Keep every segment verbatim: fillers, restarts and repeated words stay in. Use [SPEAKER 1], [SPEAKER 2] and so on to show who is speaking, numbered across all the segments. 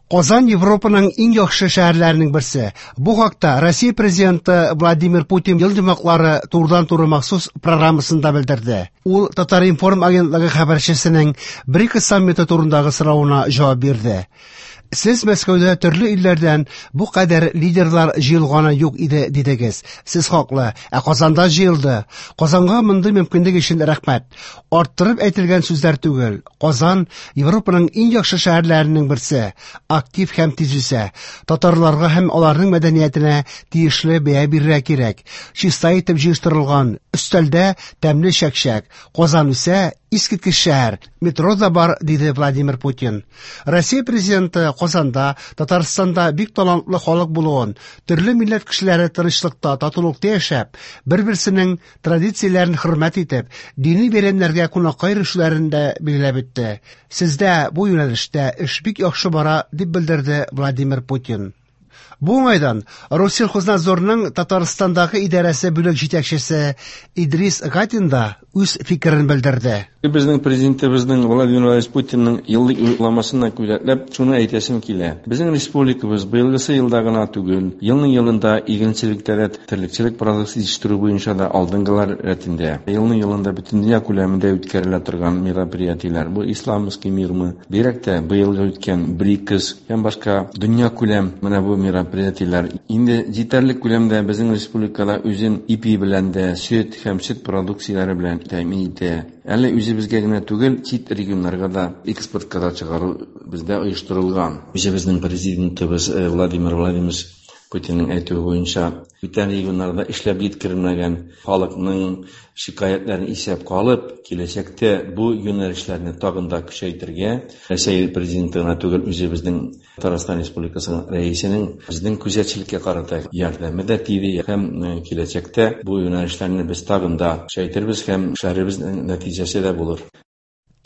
[SPEAKER 1] Казан Европаның иң яхшы шәһәрләренең берсе. Бу хакта Россия президенты Владимир Путин ел йомгаклары турыдан-туры махсус программасында белдерде. Ул Татар-информ агентлыгы хәбәрчесенең БРИКС саммиты турындагы соравына җавап бирде. Сез Мәскәүдә төрле илләрдән бу кадәр лидерлар җыелганы юк иде дидегез. Сез хаклы, ә Казанда җыелды. Казанга мондый мөмкинлек өчен рәхмәт. Арттырып әйтелгән сүзләр түгел. Казан Европаның иң яхшы шәһәрләренең берсе. Актив һәм тиз үсә. Татарларга һәм аларның мәдәниятенә тиешле бәя бирергә кирәк. Чиста итеп җыештырылган өстәлдә тәмле чәкчәк. Казан үсә, искиткеч шәһәр. Метро да бар, диде Владимир Путин. Россия президенты Казанда, Татарстанда бик талантлы халык булуын, төрле милләт кешеләре тынычлыкта, татулыкта яшәп, бер-берсенең традицияләрен хөрмәт итеп, дини бәйрәмнәргә кунакка йөрүчеләрен дә билгеләп үтте. Сездә бу юнәлештә эш бик яхшы бара, дип белдерде Владимир Путин. Бу уңайдан Россельхознадзорның Татарстандагы идарәсе бүлек җитәкчесе Идрис Гатин да үз фикерен белдерде.
[SPEAKER 2] Безнең президентыбызның Владимир Владимирович Путинның еллык юлламасына күзәтләп шуны әйтәсем килә. Безнең республикабыз быелгысы елда гына түгел, елның елында игенчелектә дә, терлекчелек продукциясе җитештерү буенча да алдынгылар рәтендә. Елның елында бөтен дөнья күләмендә үткәрелә торган мероприятиеләр. Бу Исламский мирмы, бигрәк тә быелгы үткән БРИКС һәм башка дөнья күләм менә бу мероприятиеләр. Инде җитәрлек күләмдә безнең республикада үзен ипи белән дә, сөт һәм сөт продукцияләре белән тәэмин итә. Әле үзебезгә генә түгел, чит регионнарга да экспортка да чыгару бездә оештырылган. Үзебезнең президентыбыз Владимир Владимирович Путинның әйтүе буенча, бүтән регионнарда эшләп җиткерелмәгән халыкның шикаятьләрен исәпкә алып, киләчәктә бу юнәлешләрне тагын да көчәйтергә, Рәсәй президенты гына түгел, үзебезнең Татарстан Республикасының рәисенең безнең күзәтчелеккә карата ярдәме дә тиде һәм киләчәктә бу юнәлешләрне без тагын да көчәйтербез һәм эшләребезнең нәтиҗәсе дә булыр.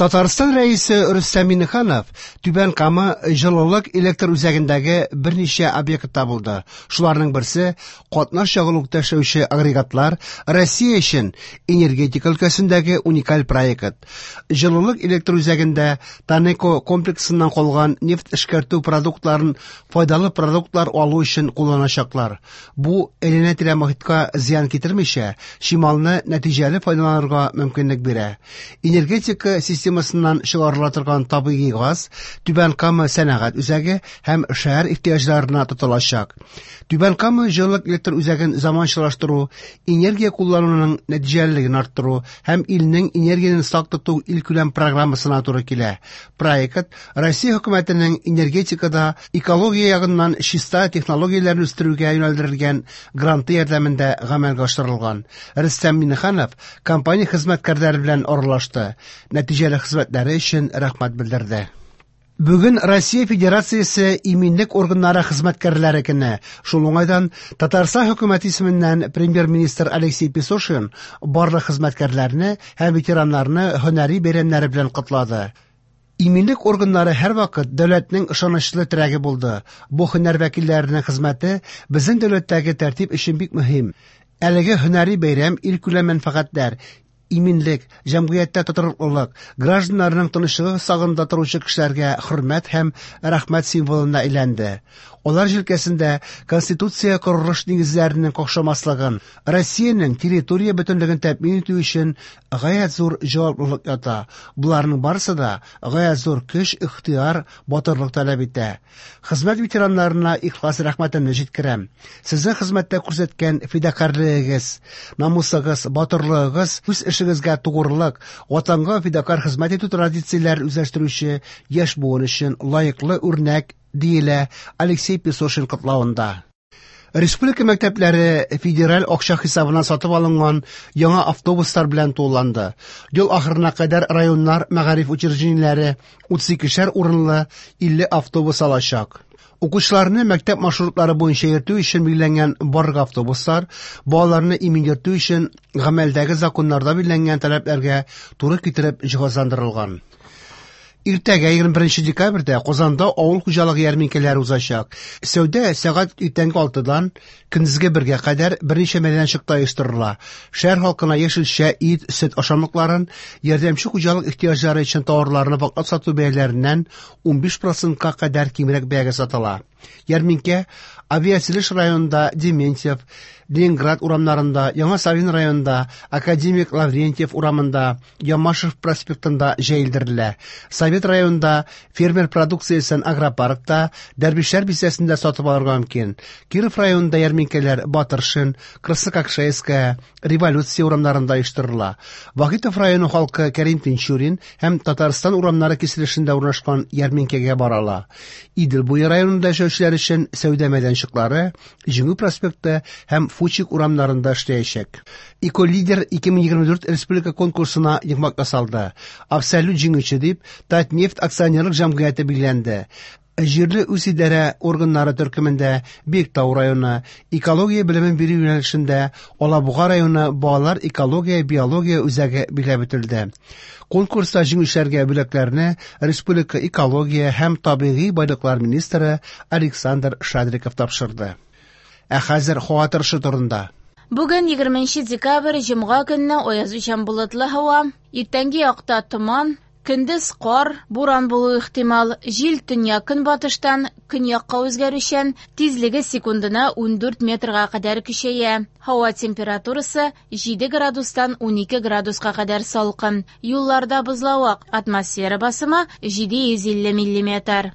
[SPEAKER 1] Татарстан рәисе Рөстәм Миңнеханов Түбән Кама җылылык электр үзәгендәге берничә объектта булды. Шуларның берсе катнаш ягулыкта эшләүче агрегатлар Россия өчен энергетика өлкәсендәге уникаль проект. Җылылык электр үзәгендә Танеко комплексыннан калган нефть эшкәртү продуктларын файдалы продуктлар алу өчен кулланачаклар. Бу әйләнә-тирә мохиткә зыян китермичә, чималны нәтиҗәле файдаланырга мөмкинлек бирә. Энергетика системасыннан чыгарыла торган табигый газ Түбән Кама сәнәгать үзәге һәм шәһәр ихтыяҗларына тотылачак. Түбән Кама җылылык электр үзәген заманчалаштыру, энергия куллануның нәтиҗәлелеген арттыру һәм илнең энергияне сак тоту илкүләм программасына туры килә. Проект Россия хөкүмәтенең энергетикада экология ягыннан чиста технологияләрне үстерүгә юнәлдерелгән гранты ярдәмендә гамәлгә ашырылган. Рөстәм Миңнеханов компания хезмәткәрләре белән аралашты. Нәтиҗәле хезмәтләре өчен рәхмәт белдерде. Бүген Россия Федерациясе иминлек органнары хезмәткәрләре көне. Шул уңайдан Татарстан хөкүмәте исеменнән премьер-министр Алексей Песошин барлык хезмәткәрләрне һәм ветераннарны һөнәри бәйрәмнәре белән котлады. Иминлек органнары һәрвакыт дәүләтнең ышанычлы терәге булды. Бу һөнәр вәкилләренең хезмәте безнең дәүләттәге тәртип өчен бик мөһим. Әлеге һөнәри бәйрәм илкүләм мәнфәгатьләр, иминлек, җәмгыятьтә тотрыклылык, гражданнарның тынычлыгы сагында торучы кешеләргә хөрмәт һәм рәхмәт символына әйләнде. Алар җилкәсендә Конституция корылыш нигезләренең какшамаслыгын, Россиянең территория бөтенлеген тәэмин итү өчен гаять зур җаваплылык ята. Буларның барысы да гаять зур көч, ихтыяр, батырлык таләп итә. Хезмәт ветераннарына ихлас рәхмәтемне җиткерәм. Сезнең хезмәттә күрсәткән фидакарьлегегез, намусыгыз, батырлыгыгыз, үз эшегезгә тугрылык, ватанга фидакарь хезмәт итү традицияләрен үзләштерүче яшь буын өчен лаеклы үрнәк, диелә Алексей Песошин котлавында. Республика мәктәпләре федераль акча хисабына сатып алынган яңа автобуслар белән тулыланды. Ел ахырына кадәр районнар мәгариф учреждениеләре утыз икешәр урынлы илле автобус алачак. Укучыларны мәктәп маршрутлары буенча йөртү өчен билгеләнгән барлык автобуслар балаларны имин йөртү өчен гамәлдәге законнарда билгеләнгән таләпләргә туры китереп җиһазландырылган. Иртәгә егерме беренче декабрьдә Казанда авыл хуҗалыгы ярминкәләре узачак. Сәүдә сәгать иртәнге алтыдан көндезге бергә кадәр берничә мәйданчыкта оештырыла. Шәһәр халкына яшелчә, ит, сөт ашамлыкларын, ярдәмче хуҗалык ихтыяҗлары өчен товарларны ваклап сату бәяләреннән унбиш процентка кадәр кимрәк бәягә сатыла. Ярминкә Авиатөзелеш районында Дементьев, Ленинград урамнарында, Яңа Савин районында, Академик Лаврентьев урамында, Ямашев проспектында җәелдерелә. Совет районында фермер продукциясен агропаркта, Дәрвишләр бистәсендә сатып алырга мөмкин. Киров районында ярминкәләр Батыршин, Краснококшайская, Революция урамнарында оештырыла. Вахитов районы халкы Кәрим Тинчурин һәм Татарстан урамнары киселешендә урнашкан ярминкәгә бара ала. Идел буе районында яшәүчеләр өчен сәүдә мәйданчыклары Җиңү проспекты һәм Фучик урамнарында эшләячәк. Эколидер ике мең егерме дүрт республика конкурсына йомгак ясалды. Абсолют җиңүче дип Татнефть акционерлык җәмгыяте билгеләнде. Җирле үзидарә органнары төркемендә Биектау районы, экология белемен бирү юнәлешендә Алабуга районы балалар экология биология үзәге билгеләп үтелде. Конкурста җиңүчеләргә бүләкләрне Республика экология һәм табигый байлыклар министры Александр Шадриков тапшырды. Ә хәзер һава торышы турында.
[SPEAKER 3] Бүген егерменче декабрь җомга көнне аязучан болытлы һава, иртәнге якта томан, көндез кар, буран булу ихтимал, җил төньяк көнбатыштан көньякка үзгәрүчән, тизлеге секундына ундүрт метрга кадәр көчәя. Һава температурасы җиде градустан унике градуска кадәр салкын. Юлларда бозлавык, атмосфера басымы җиде йөз илле миллиметр.